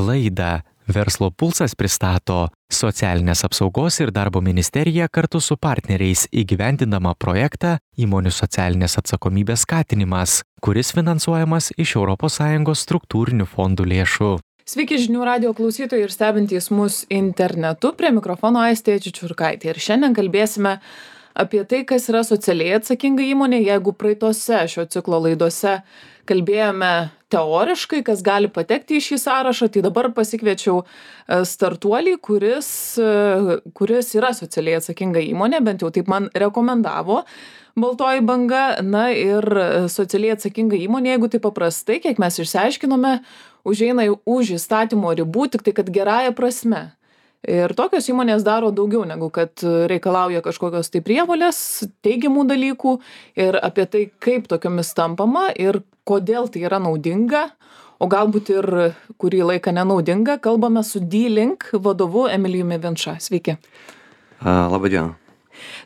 Laidą Verslo pulsas pristato Socialinės apsaugos ir darbo ministerija kartu su partneriais įgyvendindama projektą Įmonių socialinės atsakomybės skatinimas, kuris finansuojamas iš ES struktūrinių fondų lėšų. Sveiki žinių radijo klausytojai ir stebintys mus internetu, prie mikrofono Aistė Čičiurkaitė. Ir šiandien kalbėsime apie tai, kas yra socialiai atsakinga įmonė. Jeigu praeitose šio ciklo laidose kalbėjome teoriškai, kas gali patekti į šį sąrašą, tai dabar pasikviečiau startuolį, kuris yra socialiai atsakinga įmonė, bent jau taip man rekomendavo Baltoji banga. Na ir socialiai atsakinga įmonė, jeigu tai paprastai, kiek mes išsiaiškinome, užeina už įstatymo ribų, tik tai kad gerąja prasme. Ir tokios įmonės daro daugiau negu kad reikalauja kažkokios tai prievolės, teigiamų dalykų, ir apie tai, kaip tokiomis tampama ir kodėl tai yra naudinga, o galbūt ir kurį laiką nenaudinga, kalbame su D-Link vadovu Emilijumi Vinča. Sveiki. Labą dieną.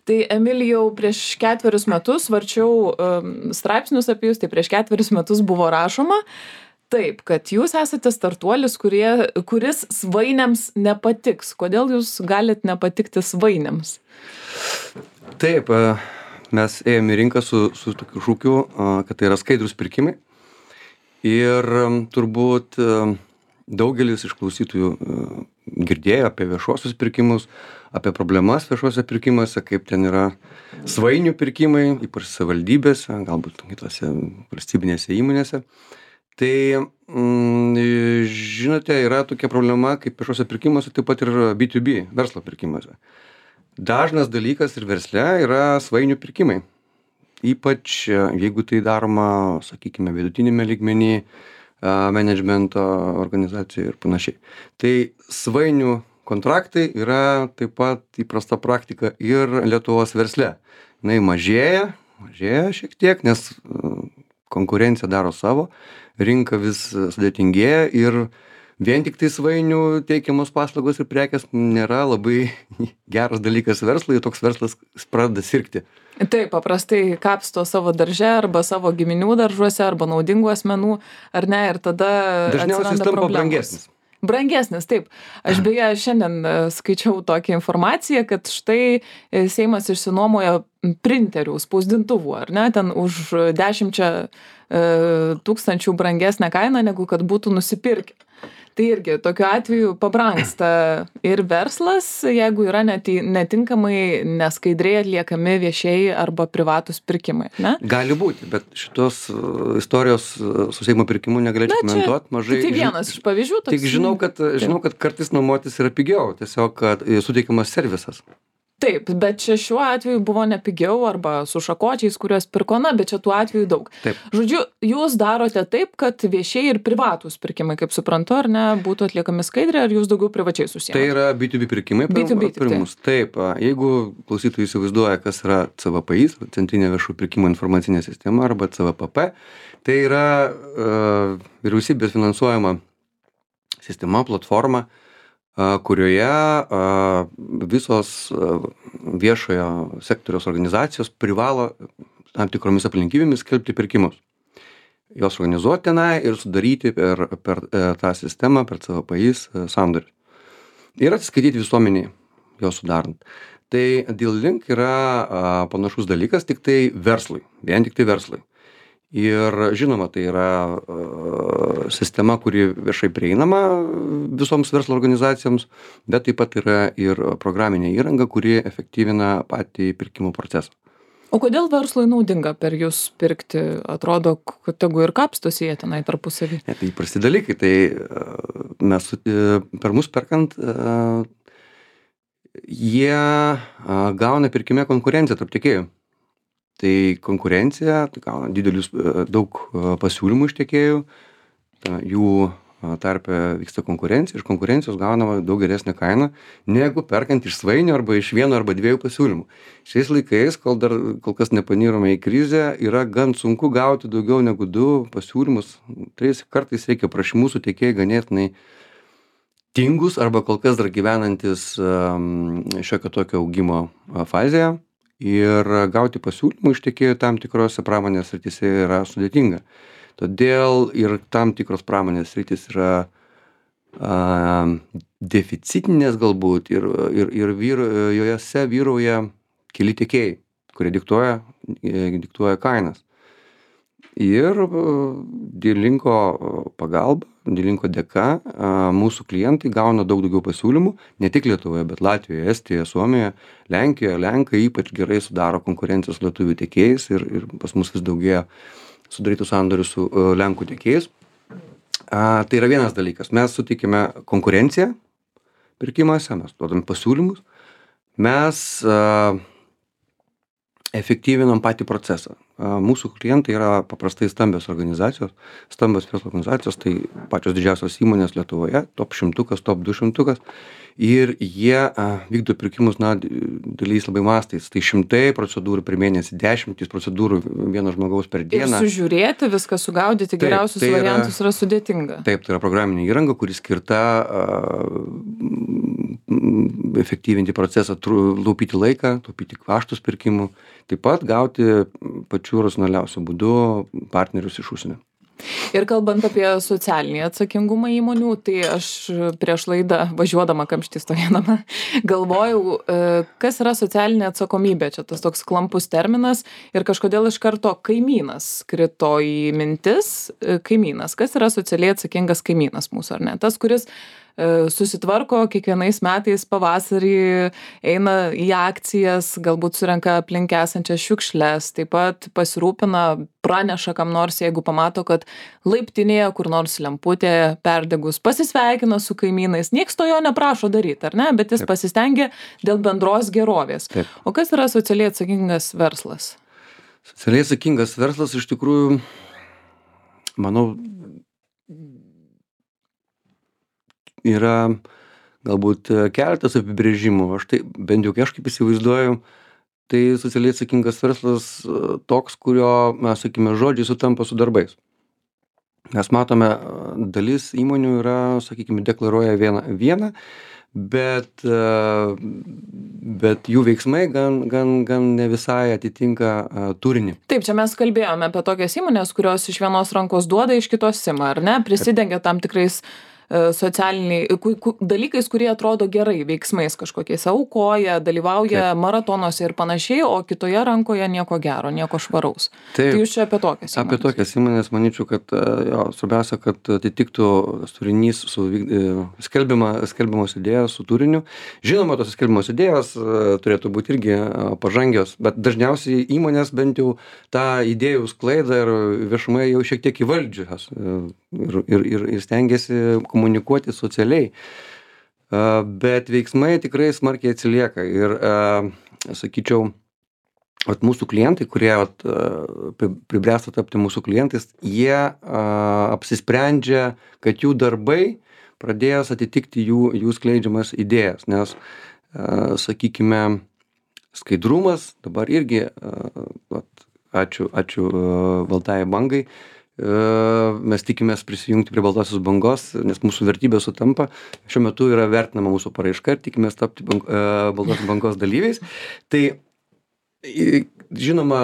Tai Emilijau, prieš 4 metus varčiau straipsnius apie jūs, tai prieš 4 metus buvo rašoma, taip, kad jūs esate startuolis, kuris svainiams nepatiks. Kodėl jūs galit nepatikti svainiams? Taip, mes ėjome į rinką su tokiu šūkiu, kad tai yra skaidrūs pirkimai. Ir turbūt daugelis iš klausytojų girdėjo apie viešuosius pirkimus, apie problemas viešuose pirkimuose, kaip ten yra svainių pirkimai, ypač savivaldybėse, galbūt kitose valstybinėse įmonėse. Tai, žinote, yra tokia problema, kaip viešuose pirkimuose, taip pat ir B2B, verslo pirkimuose. Dažnas dalykas ir versle yra svainių pirkimai. Ypač jeigu tai daroma, sakykime, vidutinėme lygmenį, menedžmento organizacijoje ir panašiai. Tai svainių kontraktai yra taip pat įprasta praktika ir Lietuvos versle. Jinai mažėja šiek tiek, nes konkurencija daro savo, rinka vis sudėtingėja ir vien tik tai svainių teikiamos paslaugos ir prekės nėra labai geras dalykas verslui, toks verslas pradeda sirgti. Taip, paprastai kapsto savo darže arba savo giminių daržuose arba naudingų asmenų, ar ne, ir tada dažniausiai jis tampa brangesnis. Brangesnis, taip. Aš beje šiandien skaičiau tokią informaciją, kad štai Seimas išsinuomoja printerių, spausdintuvų, ar ne, ten už 10 tūkstančių brangesnę kainą, negu kad būtų nusipirkę. Tai irgi tokiu atveju pabrangsta ir verslas, jeigu yra netinkamai, neskaidriai atliekami viešieji arba privatūs pirkimai, ne? Gali būti, bet šitos istorijos su Seimo pirkimu negalėčiau komentuoti. Tai vienas iš pavyzdžių toks. Tik žinau, kad kartais nuomotis yra pigiau, tiesiog kad suteikiamas servisas. Taip, bet čia šiuo atveju buvo nepigiau arba su šakočiais, kuriuos pirko, bet čia tų atvejų daug. Taip. Žodžiu, jūs darote taip, kad viešieji ir privatūs pirkimai, kaip suprantu, ar ne, būtų atliekami skaidriai, ar jūs daugiau privačiai susijęs? Tai yra B2B pirkimai pirmus. Taip, jeigu klausytojai įsivaizduoja, kas yra CVPI, Centrinė viešų pirkimų informacinė sistema, arba CVPP, tai yra vyriausybės finansuojama sistema, platforma, kurioje visos viešojo sektoriaus organizacijos privalo tam tikromis aplinkybėmis skelbti pirkimus. Jos organizuoti tenai ir sudaryti per tą sistemą, per CVPI sandorius. Ir atsiskaityti visuomeniai jos sudarant. Tai D-Link yra panašus dalykas, tik tai verslui, vien tik tai verslui. Ir žinoma, tai yra sistema, kuri viešai prieinama visoms verslo organizacijoms, bet taip pat yra ir programinė įranga, kuri efektyvina patį pirkimo procesą. O kodėl verslui naudinga per jūs pirkti? Atrodo, kad tegu ir kapstosi jie tenai tarpusavy. Tai įprasti dalykai. Tai mes per mus perkant, jie gauna pirkime konkurenciją tarp tiekėjų. Tai konkurencija, tai gauna daug pasiūlymų iš tiekėjų, jų tarpe vyksta konkurencija, iš konkurencijos gaunama daug geresnė kaina, negu perkant iš svainių arba iš 1 arba 2 pasiūlymų. Šiais laikais, kol kas nepanyrome į krizę, yra gan sunku gauti daugiau negu 2 pasiūlymus. 3 kartais reikia prašymų su tiekėjai ganėtinai tingus arba kol kas dar gyvenantis šiokio tokio augimo fazėje. Ir gauti pasiūlymų iš tiekėjų tam tikrose pramonės srityse yra sudėtinga. Todėl ir tam tikros pramonės sritys yra deficitinės galbūt ir jose vyrauja keli tiekėjai, kurie diktuoja kainas. Ir D-Linko pagalba, D-Linko dėka mūsų klientai gauna daug daugiau pasiūlymų, ne tik Lietuvoje, bet Latvijoje, Estijoje, Suomijoje, Lenkijoje. Lenkai ypač gerai sudaro konkurencijos lietuvių tiekėjais ir pas mus vis daugėja sudarytų sandorių su Lenkų tiekėjais. Tai yra vienas dalykas. Mes sutikime konkurenciją pirkimuose, mes duodame pasiūlymus, mes efektyvinam patį procesą. Mūsų klientai yra paprastai stambios organizacijos, stambios verslo organizacijos, tai pačios didžiausios įmonės Lietuvoje, top 100, top 200, ir jie vykdo pirkimus, daliais labai mastais. Tai 100 procedūrų per mėnesį, 10 procedūrų vieno žmogaus per dieną. Ir sužiūrėti, viską sugaudyti, geriausius variantus yra sudėtinga. Taip, tai yra programinė įranga, kuri skirta efektyvinti procesą, taupyti laiką, taupyti kaštus pirkimų, taip pat gauti pačiu racionaliausiu būdu partnerius iš užsienio. Ir kalbant apie socialinį atsakingumą įmonių, tai aš prieš laidą važiuodama kamštį stovėdama galvojau, kas yra socialinė atsakomybė. Čia tas toks klampus terminas ir kažkodėl iš karto kaimynas krito į mintis. Kaimynas. Kas yra socialiai atsakingas kaimynas mūsų, ar ne? Tas, kuris susitvarko kiekvienais metais pavasarį, eina į akcijas, galbūt surenka aplink esančias šiukšles, taip pat pasirūpina, praneša kam nors, jeigu pamato, kad laiptinėje kur nors lemputė perdegus, pasisveikina su kaimynais. Nieks to jo neprašo daryti, ar ne? Bet jis pasistengia dėl bendros gerovės. Taip. O kas yra socialiai atsakingas verslas? Socialiai atsakingas verslas iš tikrųjų, manau, yra galbūt keletas apibrėžimų. Aš tai bent jau kažkaip įsivaizduoju, tai socialiai atsakingas verslas toks, kurio, mes sakime, žodžiai sutampa su darbais. Mes matome, dalis įmonių yra, sakykime, deklaruoja vieną, bet jų veiksmai gan ne visai atitinka turinį. Taip, čia mes kalbėjome apie tokias įmonės, kurios iš vienos rankos duoda, iš kitos ima, ar ne? Prisidengia tam tikrais socialiniai dalykais, kurie atrodo gerai, veiksmais kažkokiais, aukoja, dalyvauja maratonuose ir panašiai, o kitoje rankoje nieko gero, nieko švaraus. Taip, tai jūs čia apie tokias įmonės? Apie tokias įmonės, manyčiau, kad svarbiausia, kad atitiktų turinys su skelbiamos idėjos su turiniu. Žinoma, tos skelbiamos idėjos turėtų būti irgi pažangios, bet dažniausiai įmonės bent jau tą idėjų sklaidą ir viešumai jau šiek tiek įvaldžios ir stengiasi komunikuoti socialiai, bet veiksmai tikrai smarkiai atsilieka ir, sakyčiau, mūsų klientai, kurie pribręsta tapti mūsų klientais, jie apsisprendžia, kad jų darbai pradės atitikti jų skleidžiamas idėjas, nes, sakykime, skaidrumas dabar irgi, ačiū Baltajai bangai, mes tikimės prisijungti prie Baltosios bangos, nes mūsų vertybės sutampa. Šiuo metu yra vertinama mūsų paraiška ir tikimės tapti Baltosios bangos dalyviais. Tai, žinoma,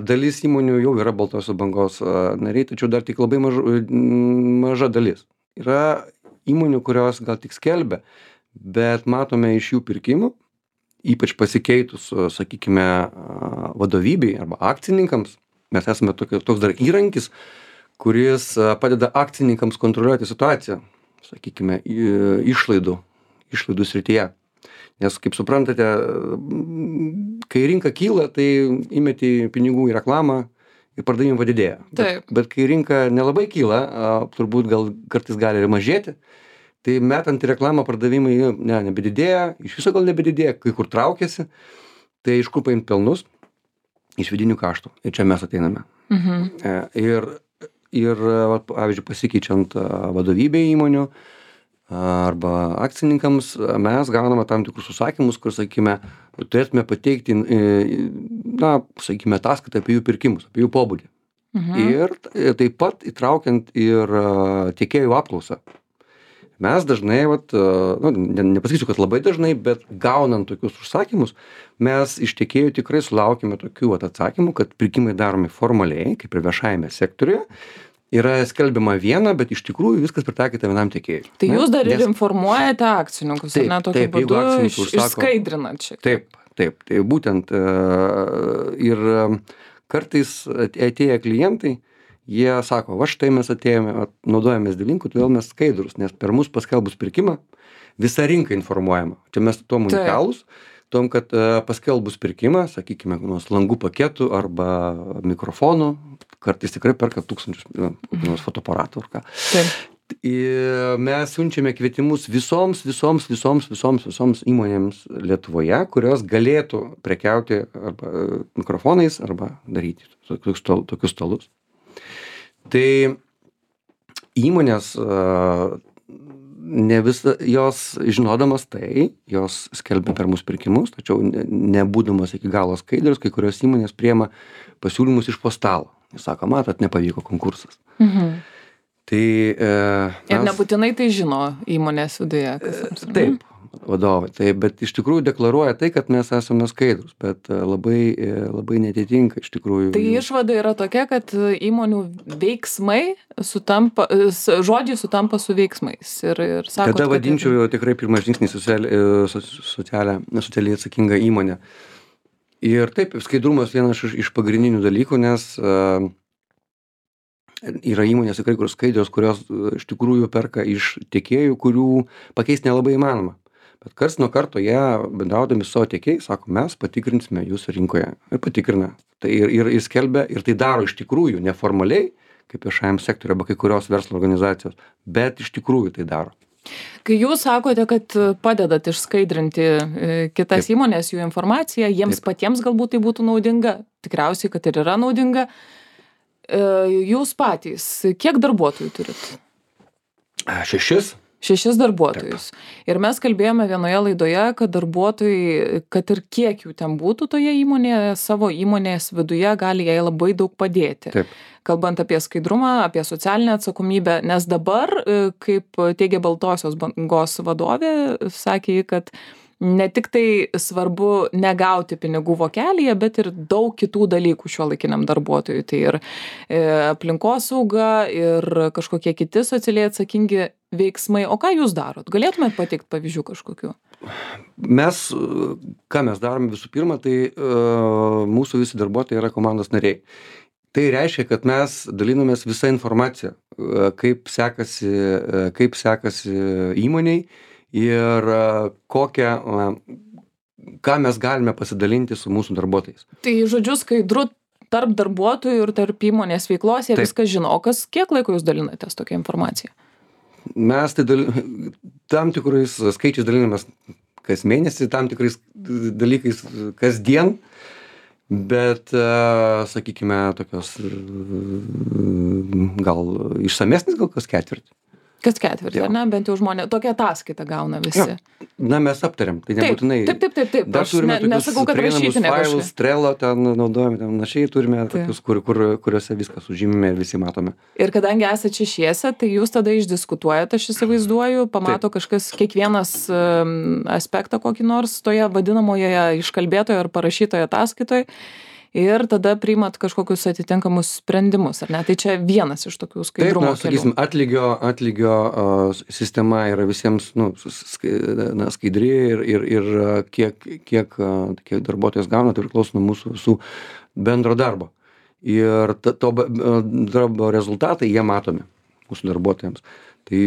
dalis įmonių jau yra Baltosios bangos nariai, tačiau dar tik labai maža dalis. Yra įmonių, kurios gal tik skelbia, bet matome iš jų pirkimų, ypač pasikeitus, sakykime, vadovybei arba akcininkams. Mes esame toks dar įrankis, kuris padeda akcininkams kontroliuoti situaciją, sakykime, išlaidų srityje. Nes, kaip suprantate, kai rinka kyla, tai įmeti pinigų į reklamą ir pardavimai padidėja. Bet kai rinka nelabai kyla, turbūt gal kartais gali ir mažėti, tai metant į reklamą pardavimai nebedidėja, iš viso gal nebedidėja, kai kur traukiasi, tai iš kur paimt pelnus? Iš vidinių kaštų. Ir čia mes ateiname. Ir pavyzdžiui, pasikeičiant vadovybę įmonių arba akcininkams, mes gauname tam tikrus užsakymus, kur, sakykime, turėtume pateikti, sakykime, ataskaitą apie jų pirkimus, apie jų pobūdį. Ir taip pat įtraukiant ir tiekėjų apklausą. Mes dažnai, nepasakysiu, kad labai dažnai, bet gaunant tokius užsakymus, mes iš tiekėjų tikrai sulaukime tokių atsakymų, kad pirkimai daromi formaliai, kaip ir viešajame sektoriuje, yra skelbiama viena, bet iš tikrųjų viskas pritaikyta vienam tiekėjui. Tai jūs dar ir informuojate akcininkus, taip, ne, tokiu taip, būdu užsako, išskaidrinat šiek tiek. Taip, tai būtent ir kartais atėję klientai, jie sako, va štai mes atėjome, naudojamės D-Linku, todėl mes skaidrus, nes per mus paskelbus pirkimą visa rinka informuojama. Čia mes tuom unikalūs, tom, kad paskelbus pirkimą, sakykime, langų paketų arba mikrofonų, kartais tikrai perka tūkstančius fotoaparatų ar ką. Mes siunčiame kvietimus visoms įmonėms Lietuvoje, kurios galėtų prekiauti arba mikrofonais arba daryti tokius stalus. Tai įmonės ne visą, jos žinodamas tai, jos skelbia per mūsų pirkimus, tačiau nebūdamas iki galo skaidrius, kai kurios įmonės priema pasiūlymus iš po stalo. Jis sako, matot, nepavyko konkursas. Tai, ir nebūtinai tai žino įmonės viduje. Taip, vadovai. Tai, bet iš tikrųjų deklaruoja tai, kad mes esame skaidrus, bet labai netitinka iš tikrųjų. Tai išvada yra tokia, kad įmonių veiksmai sutampa, žodžiai sutampa su veiksmais. Ir sakot, tada vadinčiau tikrai pirmas žingsnis socialiai atsakinga įmonė. Ir taip, skaidrumas vienas iš pagrindinių dalykų, nes yra įmonės tikrai, kur skaidrios, kurios iš tikrųjų perka iš tiekėjų, kurių pakeisti nelabai įmanoma. Bet karts nuo karto jie bendraudami su savo tiekėjais sako, mes patikrinsime jūsų rinkoje. Ir patikrina. Tai ir skelbia, ir tai daro iš tikrųjų neformaliai, kaip viešajam sektoriui arba kai kurios verslo organizacijos, bet iš tikrųjų tai daro. Kai jūs sakote, kad padedat išskaidrinti kitas įmonės, jų informaciją, jiems patiems galbūt tai būtų naudinga, tikriausiai, kad ir yra naudinga. Jūs patys, kiek darbuotojų turit? 6 darbuotojus. Taip. Ir mes kalbėjome vienoje laidoje, kad darbuotojai, kad ir kiek jų ten būtų toje įmonėje, savo įmonės viduje gali jai labai daug padėti. Taip. Kalbant apie skaidrumą, apie socialinę atsakomybę, nes dabar, kaip teigia Baltosios bangos vadovė, sakė, kad ne tik tai svarbu negauti pinigų vokelyje, bet ir daug kitų dalykų šiuolaikiniam darbuotojui. Tai ir aplinkosauga, ir kažkokie kiti socialiai atsakingi veiksmai. O ką jūs darot? Galėtumėt pateikti pavyzdžių kažkokių? Ką mes darome visų pirma, tai mūsų visi darbuotojai yra komandos nariai. Tai reiškia, kad mes dalinamės visą informaciją, kaip sekasi įmoniai ir ką mes galime pasidalinti su mūsų darbuotojais. Tai žodžiu skaidru tarp darbuotojų ir tarp įmonės veiklos, jie viską žino. O kiek laiko jūs dalinatės tokią informaciją? Mes tai tam tikrais skaičiais dalinamės kas mėnesį, tam tikrais dalykais kasdien. Bet, sakykime, tokios gal išsamesnis, gal kas ketvirtį. Kas ketvirtį, ar ne? Bent jau žmonės, tokią ataskaitą gauna visi. Ja. Na, mes aptariam, tai nebūtinai. Taip. Dar turime nesakau, kad rašyti failus, Trello, ten naudojame, ten našiai turime tokius, kuriuose viskas sužymime ir visi matome. Ir kadangi esate šešiese, tai jūs tada išdiskutuojate, aš įsivaizduoju, pamato kažkas, kiekvienas aspektą kokį nors toje vadinamoje iškalbėtoje ar parašytoje ataskaitoje. Ir tada priimat kažkokius atitinkamus sprendimus, ar ne? Tai čia vienas iš tokių skaidrumo kelių. Sakysim, atlygio sistema yra visiems skaidri ir kiek darbuotojas gauna, tai priklauso nuo mūsų visų bendro darbo. Ir to darbo rezultatai jie matomi mūsų darbuotojams. Tai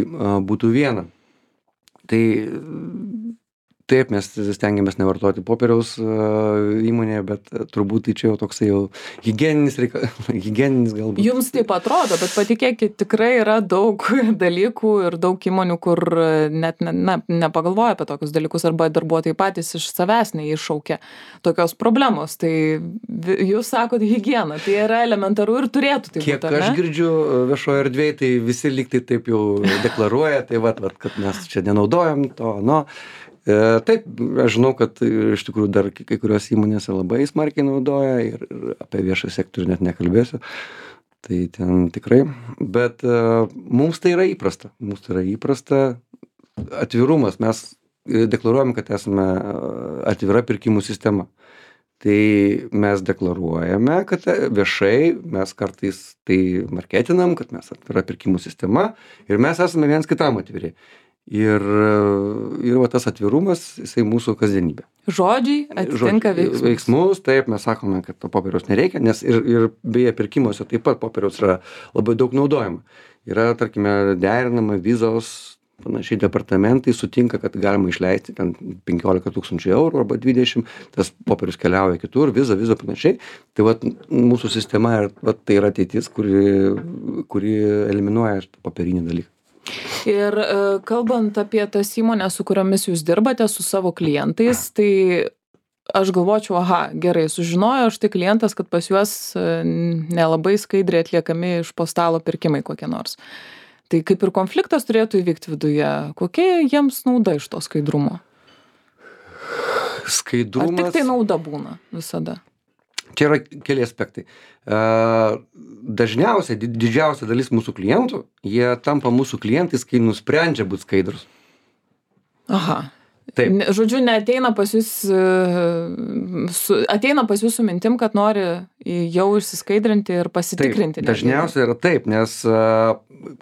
būtų viena. Tai taip, mes stengiamės nevartoti popieriaus įmonėje, bet turbūt tai čia jau toksai jau higieninis galbūt. Jums taip atrodo, bet patikėkit, tikrai yra daug dalykų ir daug įmonių, kur net nepagalvoja apie tokius dalykus, arba darbuotojai patys iš savęs neiššaukia tokios problemos. Tai jūs sakot higiena, tai yra elementaru ir turėtų tai būti. Kiek aš girdžiu viešoje erdvėje, tai visi lyg tai taip jau deklaruoja, tai kad mes čia nenaudojam to, Taip, aš žinau, kad iš tikrųjų dar kai kurios įmonėse labai smarkiai naudoja ir apie viešą sektorių net nekalbėsiu. Tai ten tikrai, bet mums tai yra įprasta. Atvirumas, mes deklaruojam, kad esame atvira pirkimų sistema. Tai mes deklaruojame, kad viešai mes kartais tai marketinam, kad mes atvira pirkimų sistema ir mes esame viens kitam atviri. Ir va tas atvirumas, jisai mūsų kasdienybė. Žodžiai atitinka veiksmus. Veiksmus, taip, mes sakome, kad to popieriaus nereikia, nes ir beje pirkimuose taip pat popieriaus yra labai daug naudojama. Yra, tarkime, derinama vizos, panašiai departamentai sutinka, kad galima išleisti ten 15 000 eurų arba 20, tas popierius keliauja kitur, viza panašiai. Tai vat mūsų sistema vat, tai yra ateitis, kuri eliminuoja popierinį dalyką. Ir kalbant apie tas įmonės, su kuriomis jūs dirbate, su savo klientais, tai aš galvočiau, gerai, sužinojo štai klientas, kad pas juos nelabai skaidriai atliekami iš po stalo pirkimai kokie nors. Tai kaip ir konfliktas turėtų įvykti viduje, kokia jiems nauda iš to skaidrumo? Skaidrumas... Ar tik tai nauda būna visada? Čia yra keli aspektai. Dažniausiai, didžiausia dalis mūsų klientų, jie tampa mūsų klientais, kai nusprendžia būti skaidrus. Aha. Taip. Žodžiu, neateina pas jūs, ateina pas jūs su mintim, kad nori jau išsiskaidrinti ir pasitikrinti. Taip, dažniausiai yra taip, nes,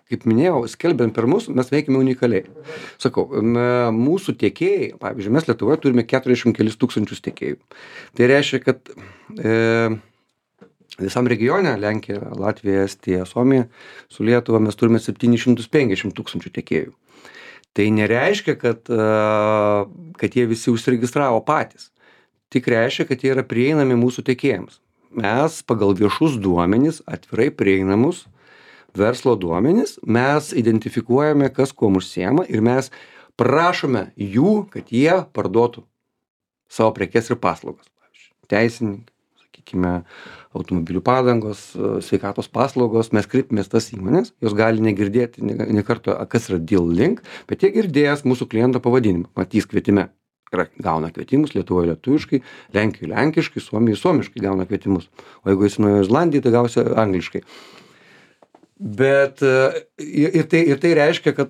kaip minėjau, skelbiant per mus, mes veikime unikaliai. Sakau, mūsų tiekėjai, pavyzdžiui, mes Lietuvoje turime 40 kelius tūkstančius tiekėjų. Tai reiškia, kad visam regione, Lenkija, Latvija, Estija, Suomija, su Lietuva mes turime 750 tūkstančių tiekėjų. Tai nereiškia, kad jie visi užsiregistravo patys. Tik reiškia, kad jie yra prieinami mūsų tiekėjams. Mes pagal viešus duomenis, atvirai prieinamus verslo duomenis, mes identifikuojame, kas kuom užsiema ir mes prašome jų, kad jie parduotų savo prekes ir paslaugas. Pavyzdžiui, teisininkai, sakykime, automobilių padangos, sveikatos paslaugos, mes kreipimės tas įmonės, jos gali negirdėti ne karto, kas yra Deal Link, bet jie girdėjęs mūsų kliento pavadinimą, matys kvietime. Gauna kvietimus Lietuvoje lietuviškai, Lenkijoje lenkiškai, Suomijoje suomiškai gauna kvietimus. O jeigu esi Naujojoje Zelandijoje, tai gausi angliškai. Bet ir tai reiškia, kad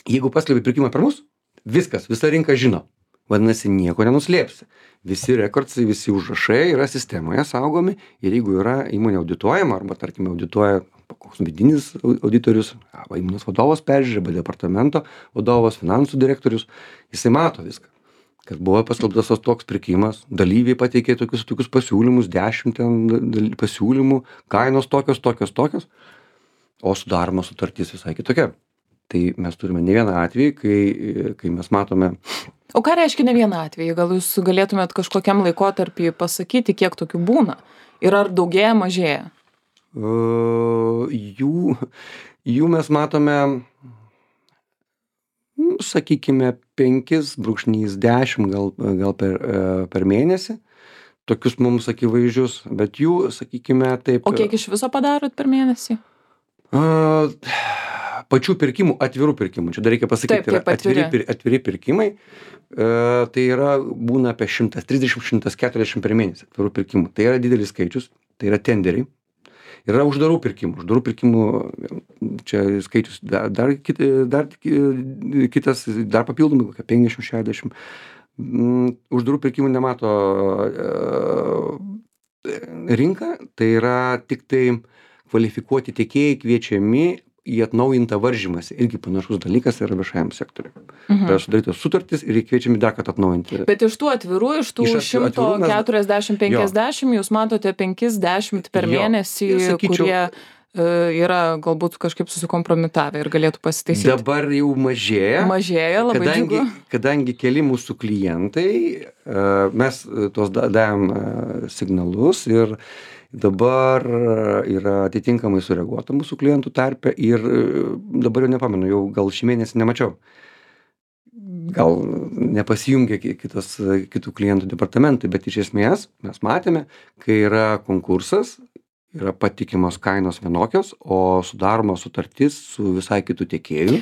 jeigu paskelbi pirkimą per mus, viskas, visa rinka žino. Vadinasi, nieko nenuslėpsi. Visi rekordsai, visi užrašai yra sistemoje saugomi ir jeigu yra įmonė audituojama arba, tarkime, audituoja koks vidinis auditorius, arba įmonės vadovas peržiūri, arba departamento vadovas, finansų direktorius, jisai mato viską. Kad buvo paskelbtas toks pirkimas, dalyviai pateikė tokius pasiūlymus, 10 pasiūlymų, kainos tokios, o sudaroma sutartis visai kitokia. Tai mes turime ne vieną atvejį, kai mes matome... O ką reiškia ne vieną atvejį? Gal jūs galėtumėt kažkokiam laikotarpį pasakyti, kiek tokių būna? Ir ar daugėja, mažėja? Jų mes matome, sakykime, 5-10 gal per mėnesį. Tokius mums akivaizdžius, bet jų, sakykime, taip... O kiek iš viso padarot per mėnesį? Pačių pirkimų, atvirų pirkimų. Čia dar reikia pasakyti, atviri pirkimai, tai yra būna apie 130-140 per mėnesį atvirų pirkimų. Tai yra didelis skaičius, tai yra tenderiai. Yra uždarų pirkimų. Uždarų pirkimų, čia skaičius dar kitas, dar papildomai, kokia 50-60. Uždarų pirkimų nemato rinka, tai yra tik tai kvalifikuoti tiekėjai kviečiami į atnaujintą varžymąsi. Irgi panašus dalykas yra viešajam sektoriui. Tai sudarytos sutartys ir kviečiami dar kartą atnaujinti. Bet iš tų atvirų, iš tų 140-50, jūs matote 50 per mėnesį, kurie yra galbūt kažkaip susikompromitavę ir galėtų pasitaisyti. Dabar jau mažėja. Mažėja, labai džiugu. Kadangi keli mūsų klientai, mes tos davėm signalus ir dabar yra atitinkamai sureaguota mūsų klientų tarpe ir dabar jau nepamenu, jau gal šį mėnesį nemačiau. Gal nepasijungė kitų klientų departamentai, bet iš esmės mes matėme, kai yra konkursas, yra patikimos kainos vienokios, o sudaroma sutartis su visai kitų tiekėjų.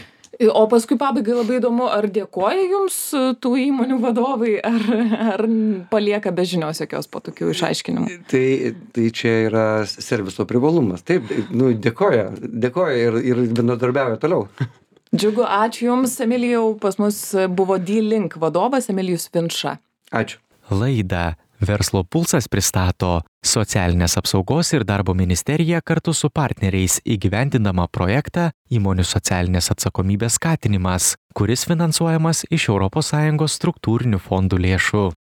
O paskui pabaigai labai įdomu, ar dėkoja jums tų įmonių vadovai, ar palieka be žinios jokios po tokių išaiškinimų? Tai čia yra serviso privalumas. Taip, dėkoja ir bendradarbiauja toliau. Džiugu, ačiū Jums, Emilijau. Pas mus buvo Deal Link vadovas Emilijus Vinča. Ačiū. Laidą Verslo pulsas pristato Socialinės apsaugos ir darbo ministerija kartu su partneriais įgyvendindama projektą Įmonių socialinės atsakomybės skatinimas, kuris finansuojamas iš ES struktūrinių fondų lėšų.